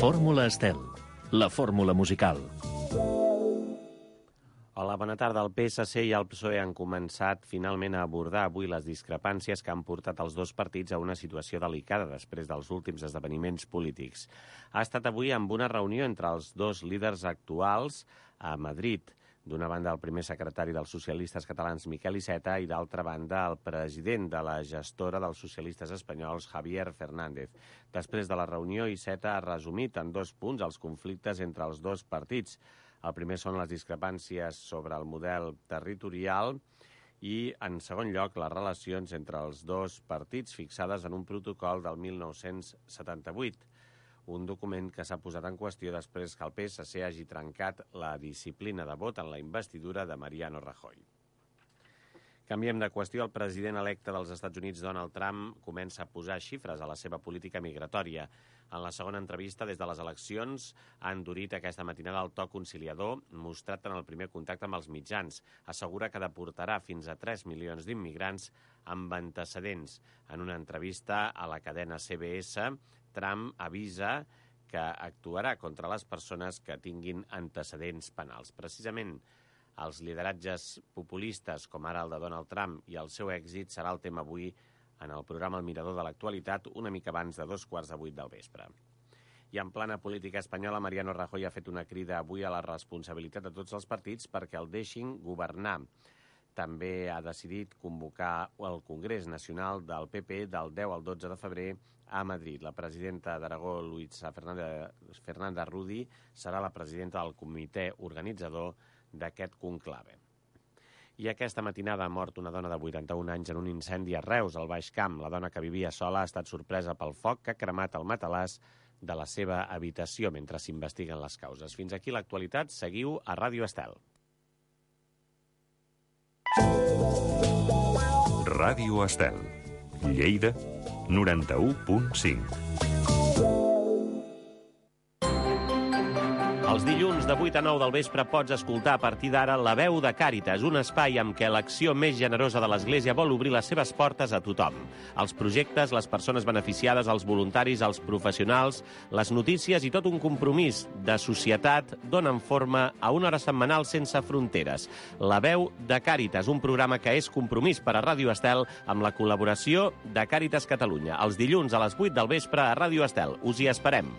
Fórmula Estel, la fórmula musical. Hola, bona tarda. El PSC i el PSOE han començat finalment a abordar avui les discrepàncies que han portat els dos partits a una situació delicada després dels últims esdeveniments polítics. Ha estat avui amb una reunió entre els dos líders actuals a Madrid. D'una banda, el primer secretari dels socialistes catalans, Miquel Iceta, i d'altra banda, el president de la gestora dels socialistes espanyols, Javier Fernández. Després de la reunió, Iceta ha resumit en 2 punts els conflictes entre els dos partits. El primer són les discrepàncies sobre el model territorial i, en segon lloc, les relacions entre els dos partits fixades en un protocol del 1978. Un document que s'ha posat en qüestió després que el PSC hagi trencat la disciplina de vot en la investidura de Mariano Rajoy. Canviem de qüestió. El president electe dels Estats Units, Donald Trump, comença a posar xifres a la seva política migratòria. En la segona entrevista des de les eleccions ha endurit aquesta matinada el to conciliador mostrat en el primer contacte amb els mitjans. Assegura que deportarà fins a 3 milions d'immigrants amb antecedents. En una entrevista a la cadena CBS, Trump avisa que actuarà contra les persones que tinguin antecedents penals. Precisament, els lideratges populistes, com ara el de Donald Trump, i el seu èxit serà el tema avui en el programa El Mirador de l'Actualitat, una mica abans de 7:15 del vespre. I en plana política espanyola, Mariano Rajoy ha fet una crida avui a la responsabilitat de tots els partits perquè el deixin governar. També ha decidit convocar el Congrés Nacional del PP del 10 al 12 de febrer a Madrid. La presidenta d'Aragó, Luisa Fernanda Rudi, serà la presidenta del comitè organitzador d'aquest conclave. I aquesta matinada ha mort una dona de 81 anys en un incendi a Reus, al Baix Camp. La dona que vivia sola ha estat sorpresa pel foc que ha cremat el matalàs de la seva habitació mentre s'investiguen les causes. Fins aquí l'actualitat. Seguiu a Ràdio Estel. Ràdio Estel, Lleida, 91.5. Els dilluns de 8 a 9 del vespre pots escoltar a partir d'ara La Veu de Càritas, un espai amb què l'acció més generosa de l'Església vol obrir les seves portes a tothom. Els projectes, les persones beneficiades, els voluntaris, els professionals, les notícies i tot un compromís de societat donen forma a una hora setmanal sense fronteres. La Veu de Càritas, un programa que és compromís per a Ràdio Estel amb la col·laboració de Càritas Catalunya. Els dilluns a les 8 del vespre a Ràdio Estel. Us hi esperem.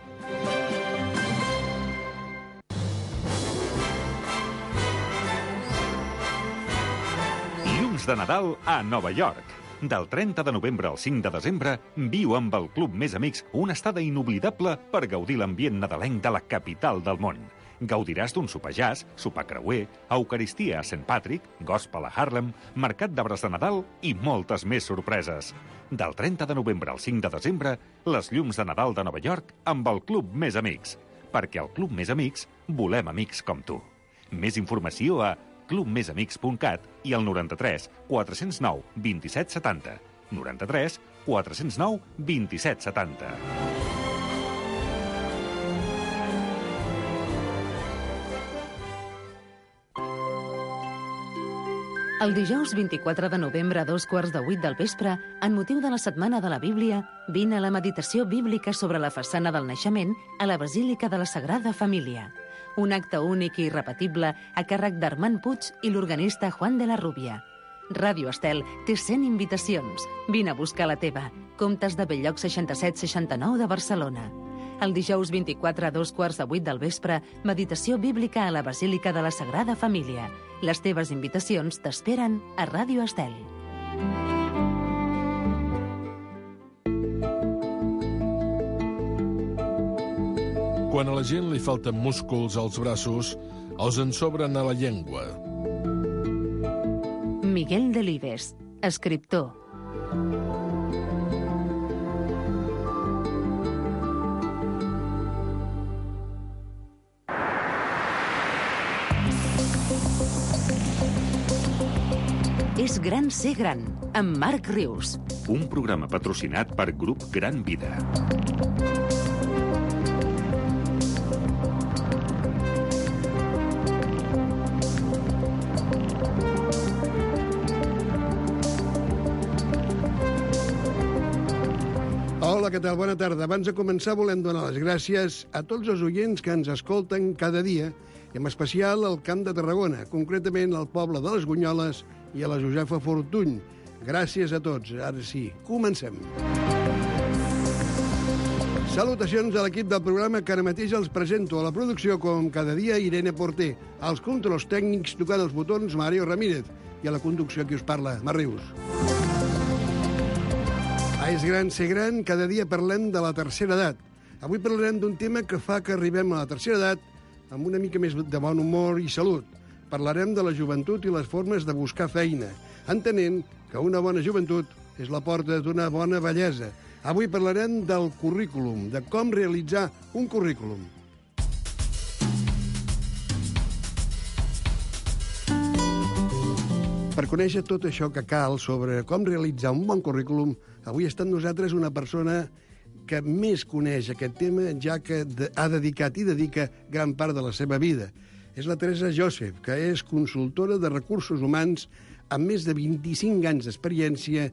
De Nadal a Nova York. Del 30 de novembre al 5 de desembre, viu amb el Club Més Amics una estada inoblidable per gaudir l'ambient nadalenc de la capital del món. Gaudiràs d'un sopar jazz, sopar creuer, eucaristia a St. Patrick, gospel a Harlem, mercat d'arbres de Nadal i moltes més sorpreses. Del 30 de novembre al 5 de desembre, les llums de Nadal de Nova York amb el Club Més Amics. Perquè al Club Més Amics volem amics com tu. Més informació a clubmesamics.cat i al 93 409 27 70. 93 409 27 70. El dijous 24 de novembre a 7:15 del vespre, en motiu de la Setmana de la Bíblia, vine a la meditació bíblica sobre la façana del naixement a la Basílica de la Sagrada Família. Un acte únic i irrepetible a càrrec d'Armand Puig i l'organista Juan de la Rubia. Ràdio Estel té 100 invitacions. Vine a buscar la teva. Comptes de Belllloc 67-69 de Barcelona. El dijous 24 a 7:15 del vespre, meditació bíblica a la Basílica de la Sagrada Família. Les teves invitacions t'esperen a Ràdio Estel. Quan a la gent li falten músculs als braços, els en sobren a la llengua. Miguel Delibes, escriptor. És gran ser gran, amb Marc Rius. Un programa patrocinat per Grup Gran Vida. Hola, què tal? Bona tarda. Abans de començar volem donar les gràcies a tots els oients que ens escolten cada dia, i en especial al Camp de Tarragona, concretament al poble de les Gunyoles i a la Josefa Fortuny. Gràcies a tots. Ara sí, comencem. Salutacions a l'equip del programa que ara mateix els presento a la producció com cada dia Irene Porter, als controls tècnics tocant els botons Mario Ramírez i a la conducció qui us parla, Mar Rius. És gran ser gran, cada dia parlem de la tercera edat. Avui parlarem d'un tema que fa que arribem a la tercera edat amb una mica més de bon humor i salut. Parlarem de la joventut i les formes de buscar feina, entenent que una bona joventut és la porta d'una bona vellesa. Avui parlarem del currículum, de com realitzar un currículum. Per conèixer tot això que cal sobre com realitzar un bon currículum, avui està amb nosaltres una persona que més coneix aquest tema, ja que ha dedicat i dedica gran part de la seva vida. És la Teresa Joseph, que és consultora de recursos humans amb més de 25 anys d'experiència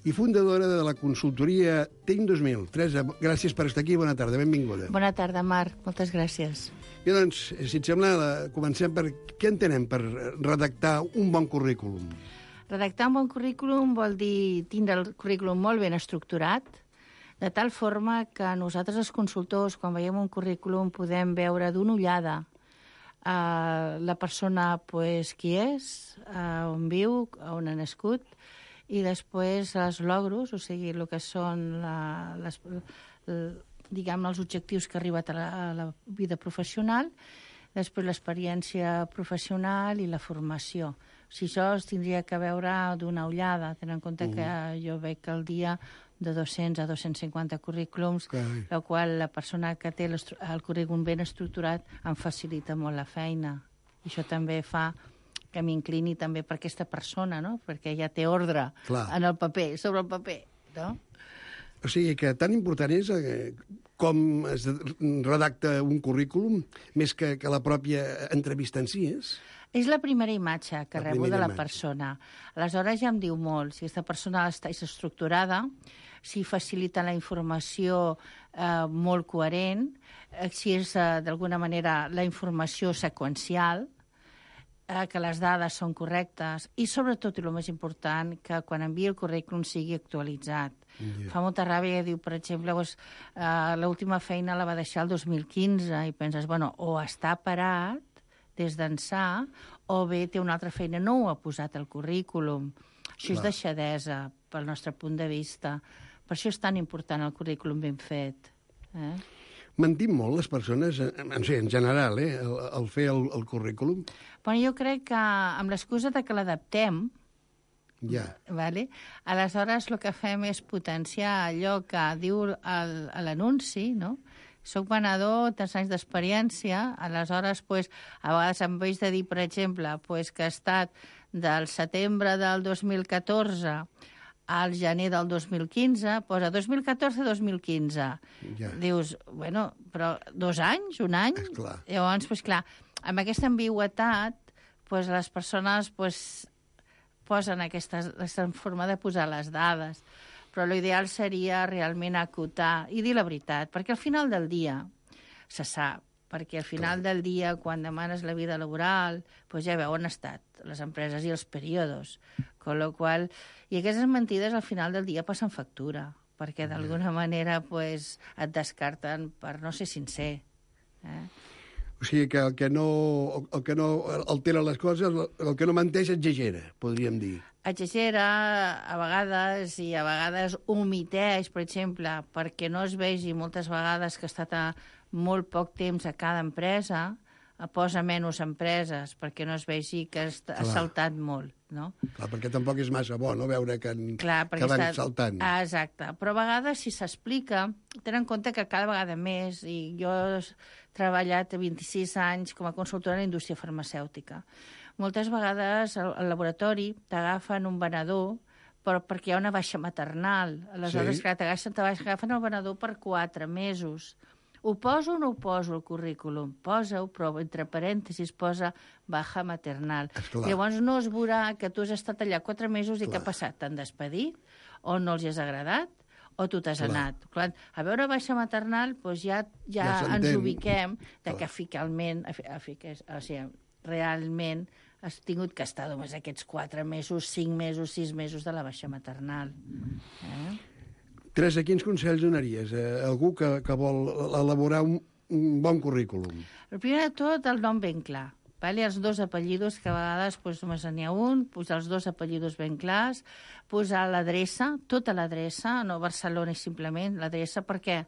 i fundadora de la consultoria TEIM 2000. Teresa, gràcies per estar aquí. Bona tarda, benvinguda. Bona tarda, Marc. Moltes gràcies. I doncs, si et sembla, comencem per què entenem per redactar un bon currículum? Redactar un bon currículum vol dir tindre el currículum molt ben estructurat, de tal forma que nosaltres, els consultors, quan veiem un currículum, podem veure d'una ullada la persona, pues, qui és, on viu, on ha nascut, i després els logros, o sigui, el que són diguem, els objectius que ha arribat a la vida professional, després l'experiència professional i la formació. O sigui, això es tindria que veure d'una ullada, tenint en compte que jo veig al dia de 200 a 250 currículums, la qual la persona que té el currículum ben estructurat em facilita molt la feina. I això també fa que m'inclini també per aquesta persona, no? Perquè ja té ordre en el paper, sobre el paper, no? O sigui que tan important és com es redacta un currículum, més que la pròpia entrevista en si, és? És la primera imatge que rebo de la persona. Aleshores ja em diu molt. Si aquesta persona està estructurada, si facilita la informació molt coherent, si és d'alguna manera la informació seqüencial, que les dades són correctes i, sobretot, i el més important, que quan envia el currículum sigui actualitzat. Fa molta ràbia, diu, per exemple, l'última feina la va deixar el 2015 i penses, bueno, o està parat des d'ençà o bé té una altra feina, no ho ha posat al currículum. Això és deixadesa, pel nostre punt de vista. Per això és tan important el currículum ben fet. Mentim molt les persones, en general, al fer el currículum? Bueno, jo crec que amb l'excusa que l'adaptem, aleshores el que fem és potenciar allò que diu l'anunci, no? Soc venedor, tants anys d'experiència, aleshores, a vegades em veig de dir, per exemple, que ha estat del setembre del 2014 al gener del 2015, posa 2014-2015. Dius, bueno, però 2 anys, un any? Llavors, clar, amb aquesta ambigüetat, les persones posen aquesta forma de posar les dades. Però l'ideal seria realment acotar i dir la veritat, perquè al final del dia se sap, perquè al final del dia, quan demanes la vida laboral, ja veu on han estat les empreses i els períodes. I aquestes mentides al final del dia passen factura, perquè d'alguna manera et descarten per no ser sincer. O sigui que el que no altera les coses, el que no menteix exagera, podríem dir. Exagera a vegades i a vegades omiteix, per exemple, perquè no es vegi moltes vegades que ha estat molt poc temps a cada empresa, posa menys empreses perquè no es vegi que ha saltat molt, no? Clar, perquè tampoc és massa bo, no?, veure que van saltant. Exacte, però a vegades si s'explica, ten en compte que cada vegada més, i jo he treballat 26 anys com a consultora en la indústria farmacèutica, moltes vegades al laboratori t'agafen un venedor perquè hi ha una baixa maternal. Aleshores, clar, t'agafen el venedor per 4 mesos. Ho poso o no ho poso al currículum? Posa-ho, però entre parèntesis posa baja maternal. Llavors no es veurà que tu has estat allà 4 mesos i què ha passat? T'han despedit? O no els has agradat? o tu t'has anat. Quan, a veure baixa maternal, doncs ja ens ubiquem que finalment, o sigui, realment has tingut que estar només aquests 4 mesos, 5 mesos, 6 mesos de la baixa maternal. Teresa, quins consells donaries a algú que vol elaborar un bon currículum? El primer de tot, el nom ben clar. Vale? Els 2 apellidos, que a vegades doncs, només n'hi ha un, posar els 2 apellidos ben clars, posar l'adreça, tota l'adreça, no Barcelona simplement, l'adreça, per què?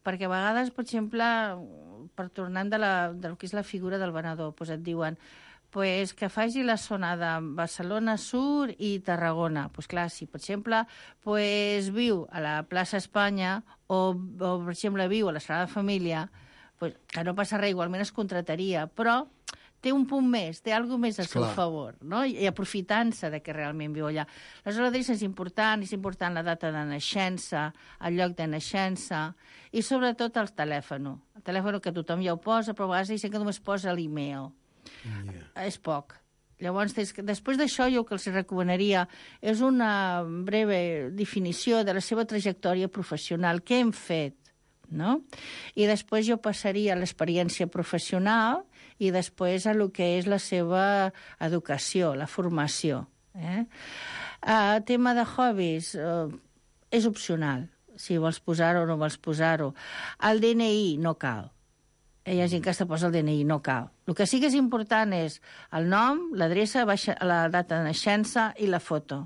Perquè a vegades, per exemple, tornant del que és la figura del venedor, doncs et diuen pues, que faci la zona de Barcelona Sur i Tarragona. Pues clar, si per exemple pues, viu a la plaça Espanya o per exemple viu a la Sagrada Família, pues, que no passa res, igualment es contrataria, però té un punt més, té alguna més al seu favor, no? I aprofitant-se de que realment viu allà. Aleshores, l'adreça és important la data de naixença, el lloc de naixença i sobretot el telèfon. El telèfon que tothom ja ho posa, però a vegades hi ha gent que només posa l'email. És poc. Llavors, després d'això, jo el que els recomanaria és una breu definició de la seva trajectòria professional, què hem fet, no? I després jo passaria a l'experiència professional i després a lo que és la seva educació, la formació. Tema de hobbies és opcional, si vols posar-ho o no vols posar-ho. El DNI no cal. Hi ha gent que es posa el DNI, no cal. El que sí que és important és el nom, l'adreça, la data de naixença i la foto.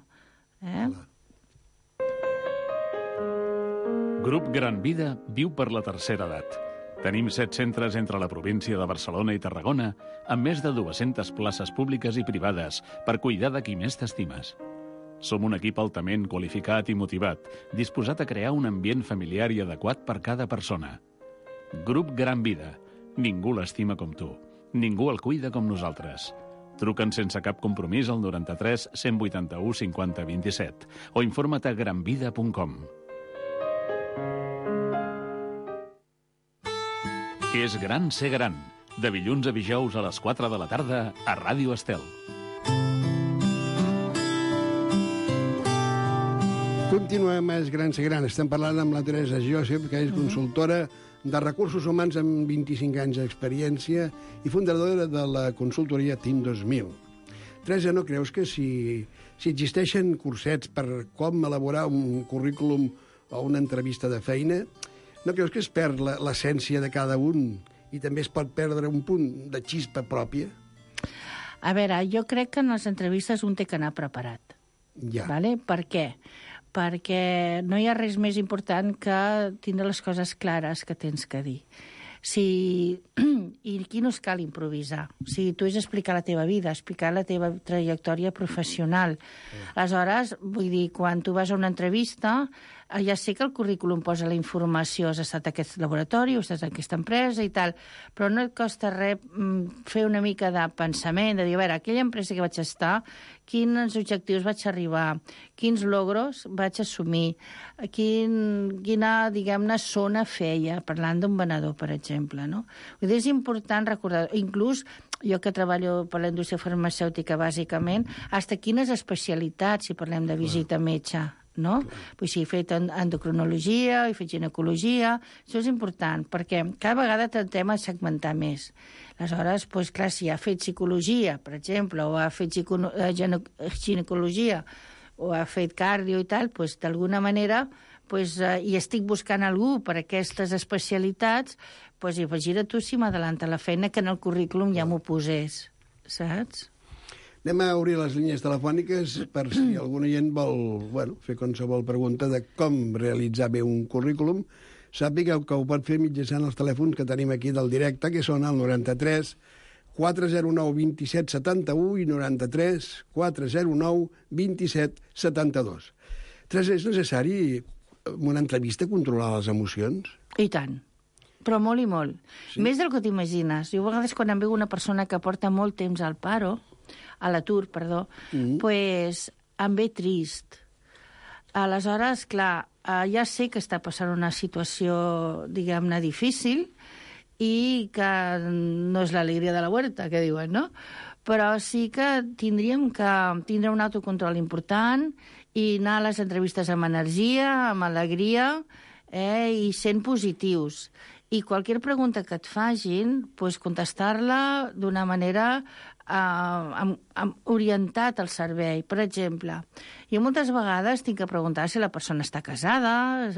Grup Gran Vida viu per la tercera edat. Tenim 7 centres entre la província de Barcelona i Tarragona, amb més de 200 places públiques i privades per cuidar de qui més t'estimes. Som un equip altament qualificat i motivat, disposat a crear un ambient familiar i adequat per cada persona. Grup Gran Vida. Ningú l'estima com tu. Ningú el cuida com nosaltres. Truca'ns sense cap compromís al 93 181 50 27 o informa't a granvida.com. És gran ser gran. De dilluns a dijous a les 4 de la tarda a Ràdio Estel. Continuem a És gran ser gran. Estem parlant amb la Teresa Josep, que és consultora de recursos humans amb 25 anys d'experiència i fundadora de la consultoria Team 2000. Teresa, no creus que si existeixen cursets per com elaborar un currículum o una entrevista de feina, no creus que es perd l'essència de cada un i també es pot perdre un punt de xispa pròpia? A veure, jo crec que en les entrevistes un té que anar preparat. Ja. Vale? Per què? Perquè no hi ha res més important que tindre les coses clares que tens que dir. I aquí no es cal improvisar. Tu has d'explicar la teva vida, explicar la teva trajectòria professional. Aleshores, vull dir, quan tu vas a una entrevista, ja sé que el currículum posa la informació, has estat a aquest laboratori, has estat a aquesta empresa i tal, però no et costa res fer una mica de pensament, de dir, a veure, aquella empresa que vaig estar, quins objectius vaig arribar, quins logros vaig assumir, quina, diguem-ne, zona feia, parlant d'un venedor, per exemple, no? Vull dir, és important recordar, inclús jo que treballo per la indústria farmacèutica, bàsicament, fins quines especialitats, si parlem de visita a metge, no? Pues sí, he fet endocrinologia, he fet ginecologia, això és important, perquè cada vegada tentem a segmentar més. Aleshores, pues, clar, si ha fet psicologia, per exemple, o ha fet ginecologia, o ha fet cardio i tal, pues, d'alguna manera, pues, i estic buscant algú per aquestes especialitats, pues, imagina't tu si m'adalanta la feina que en el currículum ja m'ho posés, saps? Anem a obrir les línies telefòniques per si algun oient vol fer qualsevol pregunta de com realitzar bé un currículum. Sàpiga que ho pot fer mitjançant els telèfons que tenim aquí del directe, que són el 93 409 27 71 i 93 409 27 72. Teresa, és necessari en una entrevista controlar les emocions? I tant. Però molt i molt. Sí? Més del que t'imagines. Jo a vegades quan em veu una persona que porta molt temps a l'atur, pues em ve trist. Aleshores, clar, ja sé que està passant una situació, diguem-ne, difícil i que no és l'alegria de la huerta, que diuen, no? Però sí que tindríem que tindre un autocontrol important i anar a les entrevistes amb energia, amb alegria, i sent positius. I qualsevol pregunta que et facin, pues, contestar-la d'una manera orientat al servei. Per exemple, jo moltes vegades tinc que preguntar si la persona està casada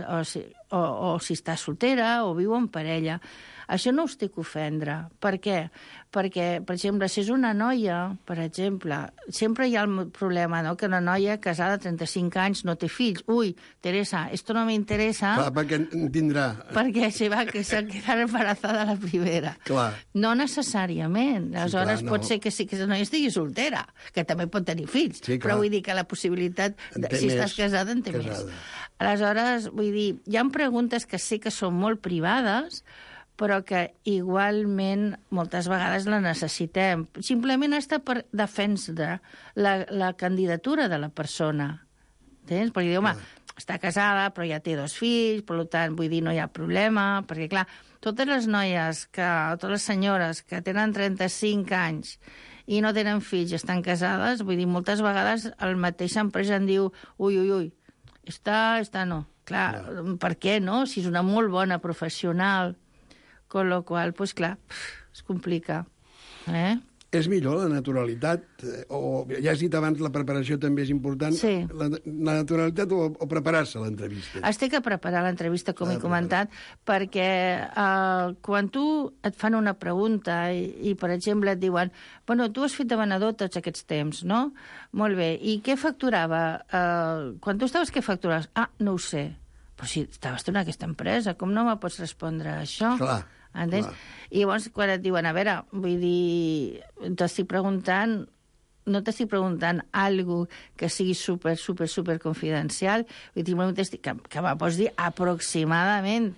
o si està soltera o viu en parella. Això no us té que ofendre. Per què? Perquè, per exemple, si és una noia, per exemple, sempre hi ha el problema, no?, que una noia casada de 35 anys no té fills. Ui, Teresa, esto no me interesa. Clar, perquè en tindrà. Perquè se va quedar embarazada la primera. Clar. No necessàriament. Aleshores, sí, clar, no. Pot ser que sí que la noia estigui soltera, que també pot tenir fills. Sí, però vull dir que la possibilitat, si estàs casada, en té més. Aleshores, vull dir, hi ha preguntes que sí que són molt privades, però que igualment moltes vegades la necessitem. Simplement està per defensar la candidatura de la persona. Entens? Perquè diu, home, està casada, però ja té 2 fills, per tant, vull dir, no hi ha problema, perquè, clar, totes les noies, totes les senyores que tenen 35 anys i no tenen fills i estan casades, vull dir, moltes vegades el mateix empresa en diu, ui, està no. Clar, per què no? Si és una molt bona professional, con lo qual, pues clar, es complica. És millor la naturalitat, o ja has dit abans, la preparació també és important. Sí. La naturalitat o preparar-se a l'entrevista? Es té que preparar l'entrevista, com he comentat, perquè quan tu et fan una pregunta i, per exemple, et diuen, bueno, tu has fet de venedor tots aquests temps, no? Molt bé. I què facturava? Quan tu estaves, què facturaves? Ah, no ho sé. Però si estaves tu en aquesta empresa, com no me pots respondre a això? Clar. Entens? I llavors, quan et diuen, a veure, vull dir, no t'estic preguntant alguna que sigui super confidencial, vull dir, que me pots dir aproximadament.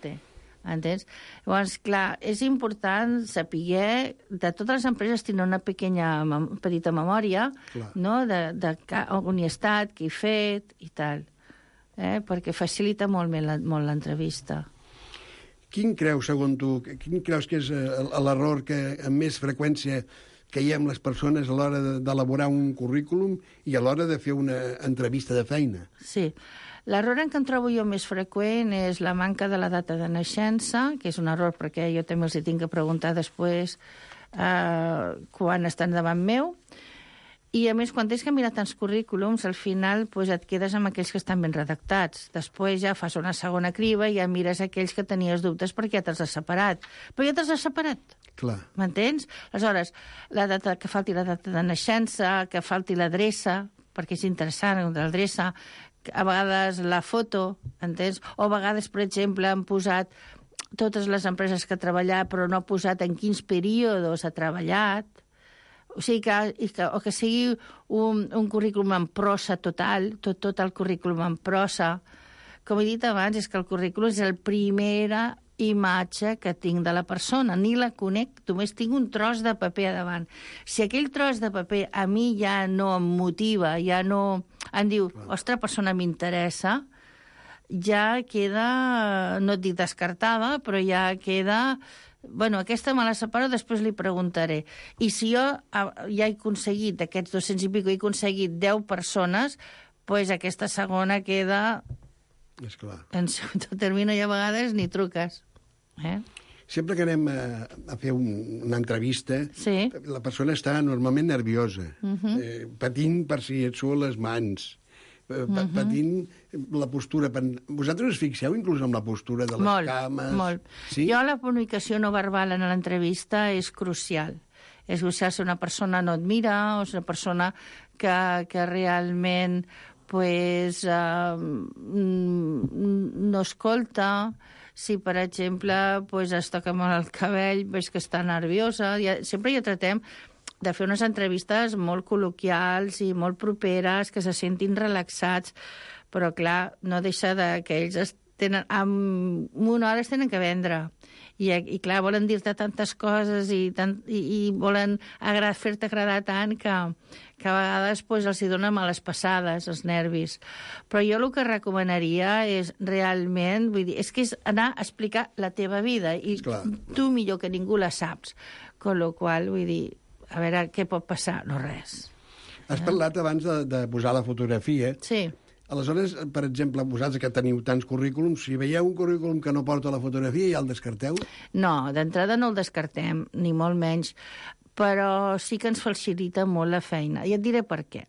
Entens? Llavors, clar, és important saber, de totes les empreses tenen una petita memòria, no?, de on he estat, què he fet i tal, perquè facilita molt l'entrevista. Quin creus, segons tu, que és l'error que amb més freqüència caiem les persones a l'hora d'elaborar un currículum i a l'hora de fer una entrevista de feina? Sí. L'error en què em trobo jo més freqüent és la manca de la data de naixença, que és un error perquè jo també els tinc que preguntar després quan estan davant meu. I, a més, quan tens que mirar tants currículums, al final et quedes amb aquells que estan ben redactats. Després ja fas una segona criba i ja mires aquells que tenies dubtes perquè ja te'ls has separat. Però ja te'ls has separat. Clar. M'entens? Aleshores, que falti la data de naixença, que falti l'adreça, perquè és interessant, l'adreça, a vegades la foto, entens? O a vegades, per exemple, han posat totes les empreses que ha treballat, però no ha posat en quins períodes ha treballat. O sigui, que sigui un currículum en prosa total, tot el currículum en prosa. Com he dit abans, és que el currículum és la primera imatge que tinc de la persona. Ni la conec, només tinc un tros de paper a davant. Si aquell tros de paper a mi ja no em motiva, ja no em diu, ostres, persona m'interessa, ja queda, no et dic descartada, però ja queda... Bueno, aquesta me la separo, després li preguntaré. I si jo ja he aconseguit, d'aquests 200 i pico, he aconseguit 10 persones, doncs aquesta segona queda... És clar. En segon termini, i a vegades ni truques. Sempre que anem a fer una entrevista, la persona està normalment nerviosa, patint per si et suen les mans, patint la postura. Vosaltres us fixeu inclús amb la postura de les cames? Molt. Sí? Jo la comunicació no verbal en l'entrevista és crucial. És crucial si una persona no et mira o si una persona que realment no escolta, si, per exemple, es toca molt el cabell, veus que està nerviosa. Sempre ja tratem de fer unes entrevistes molt col·loquials i molt properes, que se sentin relaxats, però, clar, no deixa que ells en una hora es tenen que vendre. I clar, volen dir-te tantes coses i volen fer-te agradar tant que a vegades els hi donen males passades, els nervis. Però jo el que recomanaria és realment, vull dir, és que és anar a explicar la teva vida, i tu millor que ningú la saps. Con lo qual, vull dir, a veure què pot passar? No res. Has parlat abans de posar la fotografia. Sí. Aleshores, per exemple, vosaltres que teniu tants currículums, si veieu un currículum que no porta la fotografia, ja el descarteu? No, d'entrada no el descartem, ni molt menys, però sí que ens facilita molt la feina. I et diré per què.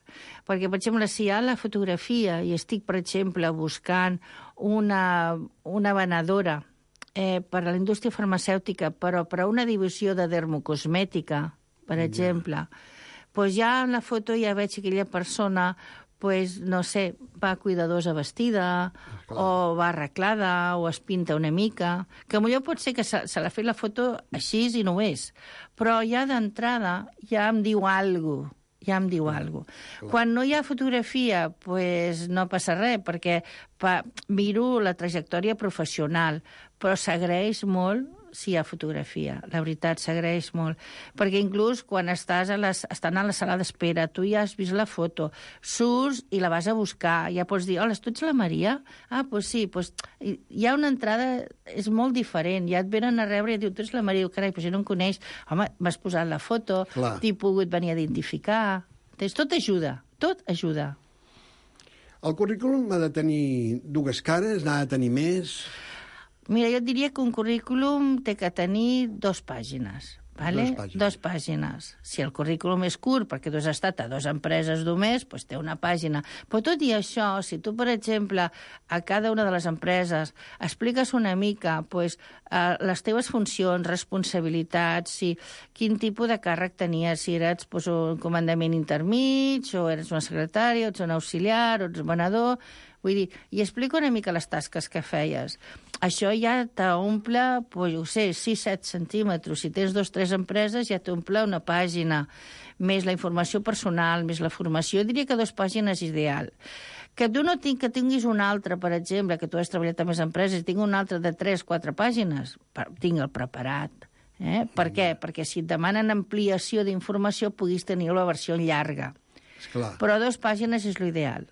Perquè, per exemple, si hi ha la fotografia i estic, per exemple, buscant una venedora per a la indústria farmacèutica, però per a una divisió de dermocosmètica, per exemple, doncs ja en la foto ja veig que aquella persona, pues, no sé, va cuidadosa vestida, o va arreglada, o es pinta una mica, que potser pot ser que se l'ha fet la foto així i no ho és, però ja d'entrada ja em diu alguna cosa. Quan no hi ha fotografia, pues no passa res, perquè miro la trajectòria professional, però s'agraeix molt si hi ha fotografia. La veritat, s'agraeix molt. Perquè inclús quan estan a la sala d'espera, tu ja has vist la foto, surts i la vas a buscar, ja pots dir, hola, tu ets la Maria? Ah, doncs sí, hi ha una entrada, és molt diferent, ja et venen a rebre i diu, tu ets la Maria, carai, però si no em coneix, home, m'has posat la foto, t'he pogut venir a identificar. Tot ajuda, tot ajuda. El currículum ha de tenir dues cares, n'ha de tenir més... Mira, jo et diria que un currículum té que tenir 2 pàgines. Vale? 2 pàgines. Si el currículum és curt, perquè tu has estat a 2 empreses només, doncs té una pàgina. Però tot i això, si tu, per exemple, a cada una de les empreses expliques una mica les teves funcions, responsabilitats, quin tipus de càrrec tenies, si eres un comandament intermig, o eres una secretària, o ets un auxiliar, o ets un venedor... Vull dir, i explico una mica les tasques que feies. Això ja t'omple, jo ho sé, 6-7 centímetres. Si tens 2 o 3 empreses, ja t'omple una pàgina. Més la informació personal, més la formació. Jo diria que 2 pàgines és ideal. Que tu no que tinguis una altra, per exemple, que tu has treballat a més empreses, i tinc una altra de 3-4 pàgines, tinc el preparat. Per què? Perquè si et demanen ampliació d'informació, puguis tenir la versió llarga. Esclar. Però 2 pàgines és l'ideal.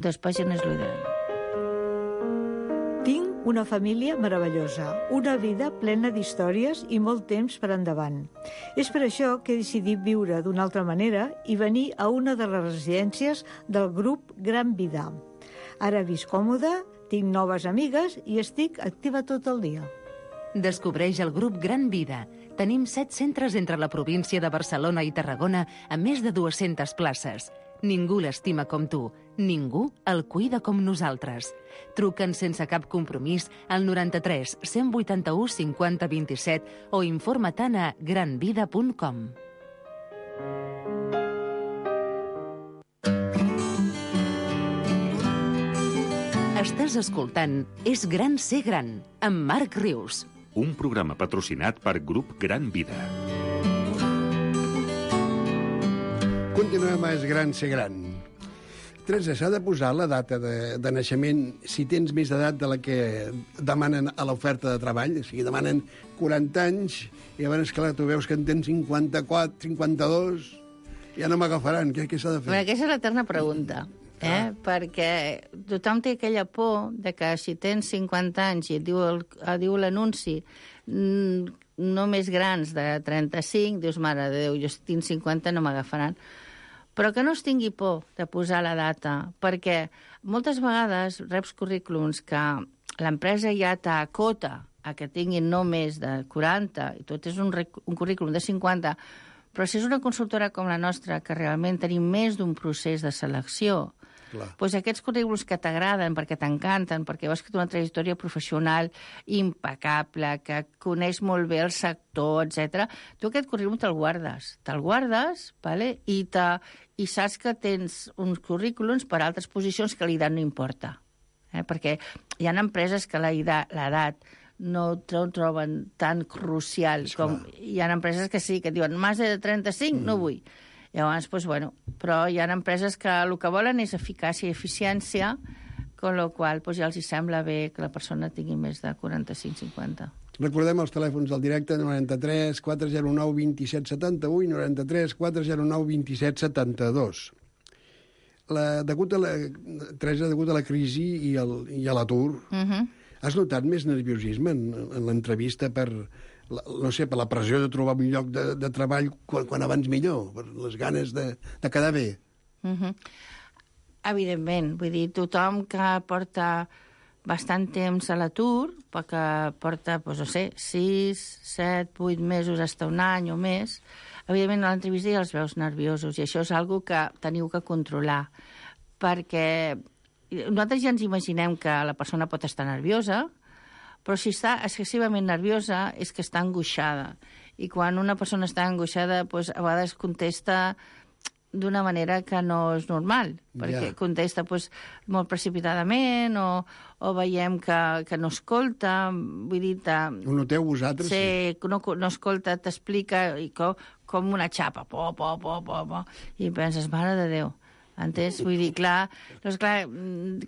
2 pàgines és l'ideal. Tinc una família meravellosa, una vida plena d'històries i molt temps per endavant. És per això que he decidit viure d'una altra manera i venir a una de les residències del grup Gran Vida. Ara visc còmode, tinc noves amigues i estic activa tot el dia. Descobreix el grup Gran Vida. Tenim 7 centres entre la província de Barcelona i Tarragona amb més de 200 places. Ningú l'estima com tu. Ningú el cuida com nosaltres. Truca'ns sense cap compromís al 93 181 50 27 o informa't a granvida.com. Estàs escoltant És gran ser gran, amb Marc Rius. Un programa patrocinat per Grup Gran Vida. Continuem a És gran ser gran. Teresa, s'ha de posar la data de naixement si tens més edat de la que demanen a l'oferta de treball. O sigui, demanen 40 anys i llavors, clar, tu veus que en tens 54, 52, ja no m'agafaran. Què s'ha de fer? Bueno, aquesta és l'eterna pregunta. Perquè tothom té aquella por de que si tens 50 anys i et diu l'anunci no més grans de 35, dius, mare de Déu, jo tinc 50, no m'agafaran. Però que no es tingui por de posar la data, perquè moltes vegades reps currículums que l'empresa ja t'acota a que tinguin no més de 40, i tot és un currículum de 50, però si és una consultora com la nostra, que realment tenim més d'un procés de selecció, doncs aquests currículums que t'agraden, perquè t'encanten, perquè veus que té una trajectòria professional impecable, que coneix molt bé el sector, etc. Tu aquest currículum te'l guardes, vale? I saps que tens uns currículums per a altres posicions que l'edat no importa. Perquè hi ha empreses que l'edat no troben tan crucial com hi ha empreses que sí, que diuen més de 35 no vull. Llavors, doncs, bueno, però hi ha empreses que el que volen és eficàcia i eficiència, amb la qual cosa ja els sembla bé que la persona tingui més de 45-50. Recordem els telèfons del directe, 93 409 27 78, 93 409 27 72. Teresa, degut a la crisi i a l'atur, has notat més nerviosisme en l'entrevista per la pressió de trobar un lloc de treball quan abans millor, per les ganes de quedar bé? Evidentment, vull dir, tothom que porta bastant temps a l'atur, perquè porta, doncs, no sé, 6, 7, 8 mesos, hasta un any o més, evidentment a l'entrevista ja els veus nerviosos, i això és una que teniu que controlar, perquè nosaltres ja ens imaginem que la persona pot estar nerviosa, però si està excessivament nerviosa és que està angoixada. I quan una persona està angoixada, doncs, a vegades contesta d'una manera que no és normal, perquè contesta molt precipitadament o veiem que no escolta, vull dir... Ho noteu vosaltres? Sí, no escolta, t'explica com una xapa, i penses, mare de Déu. Entens? Vull dir, clar,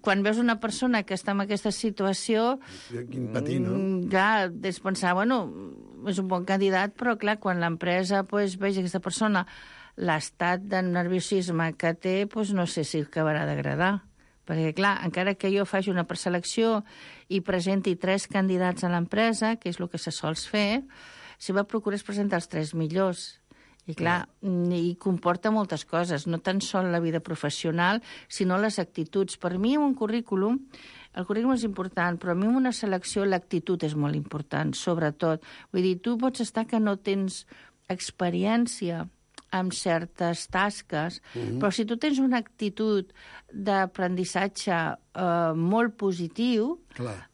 quan veus una persona que està en aquesta situació... Quin patir, no? Clar, és pensar, bueno, és un bon candidat, però clar, quan l'empresa vegi aquesta persona l'estat de nerviosisme que té, no sé si acabarà d'agradar. Perquè, clar, encara que jo faci una preselecció i presenti 3 candidats a l'empresa, que és el que se sols fer, si va procurar presentar els 3 millors. I, clar, i comporta moltes coses, no tan sol la vida professional, sinó les actituds. Per mi, un currículum, el currículum és important, però a mi en una selecció l'actitud és molt important, sobretot. Vull dir, tu pots estar que no tens experiència amb certes tasques, però si tu tens una actitud d'aprenentatge molt positiu,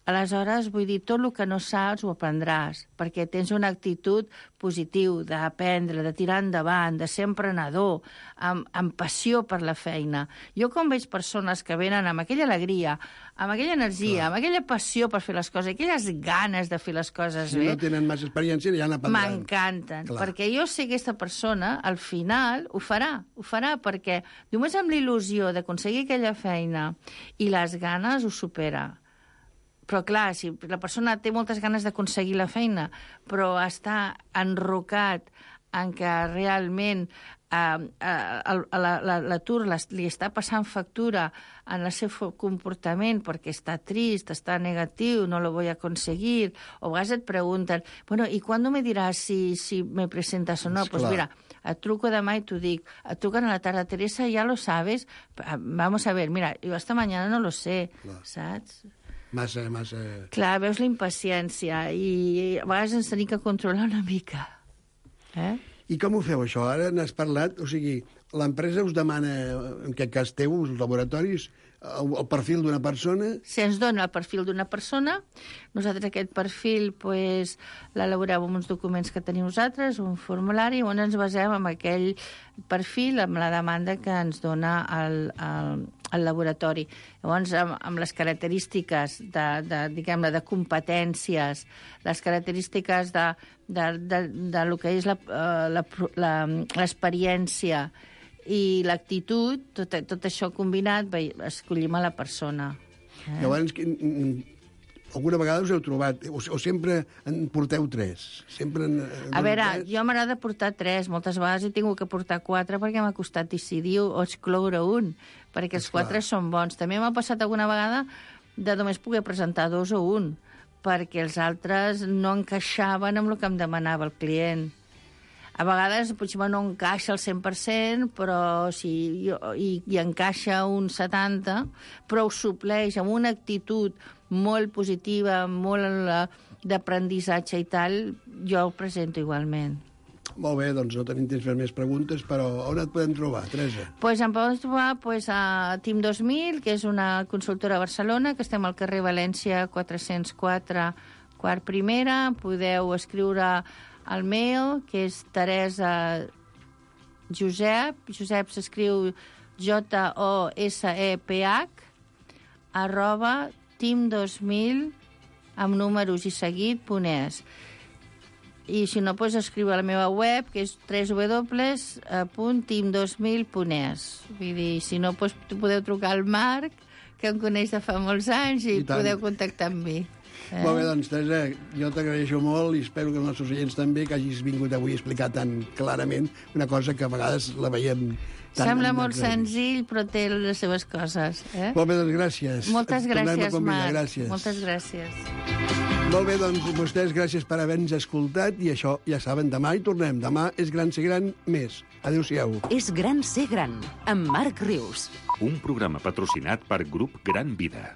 aleshores, vull dir, tot el que no saps ho aprendràs, perquè tens una actitud positiva d'aprendre, de tirar endavant, de ser emprenedor, amb passió per la feina. Jo quan veig persones que venen amb aquella alegria, amb aquella energia, amb aquella passió per fer les coses, aquelles ganes de fer les coses bé... Si no tenen massa experiència, ja n'aprendran. M'encanten, perquè jo sé que aquesta persona, al final, ho farà, perquè només amb l'il·lusió d'aconseguir aquella feina i les ganes ho supera. Però, clar, si la persona té moltes ganes d'aconseguir la feina, però està enrocat en què realment l'atur li està passant factura en el seu comportament perquè està trist, està negatiu, no lo voy a conseguir, o a vegades et pregunten, bueno, ¿y cuándo me dirás si me presentas o no? Pues mira, et truco demà i t'ho dic. Et truquen a la tarda, Teresa, ya lo sabes? Vamos a ver, mira, yo hasta mañana no lo sé, saps? Massa... Clar, veus la impaciència i a vegades ens tenim que controlar una mica. I com ho feu, això? Ara n'has parlat, o sigui, l'empresa us demana, en aquest cas teu, els laboratoris, el perfil d'una persona? Si ens dona el perfil d'una persona, nosaltres aquest perfil l'elaborem amb uns documents que tenim nosaltres, un formulari, on ens basem en aquell perfil, amb la demanda que ens dona el laboratori. Llavors, amb les característiques diguem-ne, de competències, les característiques de lo que és l'experiència i l'actitud, tot això combinat, escollim a la persona. Llavors, alguna vegada us heu trobat, o sempre en porteu 3? A veure, jo m'agrada portar 3, moltes vegades he tingut que portar 4 perquè m'ha costat decidir o excloure un, perquè els 4 són bons. També m'ha passat alguna vegada de només poder presentar 2 o 1, perquè els altres no encaixaven amb el que em demanava el client. A vegades potser no encaixa al 100%, però hi encaixa un 70%, però ho supleix amb una actitud molt positiva, molt d'aprenentatge i tal, jo ho presento igualment. Molt bé, doncs no tenim temps per més preguntes, però on et podem trobar, Teresa? Doncs em poden trobar a Team 2000, que és una consultora a Barcelona, que estem al carrer València 404, quart primera. Podeu escriure al mail, que és Teresa Josep s'escriu JOSEPH, @team2000 amb números i seguit.es. I si no, pots escriure a la meva web, que és www.team2000.es. Vull dir, si no, podeu trucar al Marc, que em coneix de fa molts anys, i podeu contactar amb mi. Molt bé, doncs, Teresa, jo t'agraeixo molt i espero que els nostres oients també, que hagis vingut avui a explicar tan clarament una cosa que a vegades la veiem tan... Sembla molt senzill, però té les seves coses. Molt bé, doncs gràcies. Moltes gràcies, Marc. Moltes gràcies. Molt bé, doncs, vostès, gràcies per haver-nos escoltat, i això, ja saben, demà hi tornem. Demà és Gran ser gran més. Adéu-siau. És Gran ser gran, amb Marc Rius. Un programa patrocinat per Grup Gran Vida.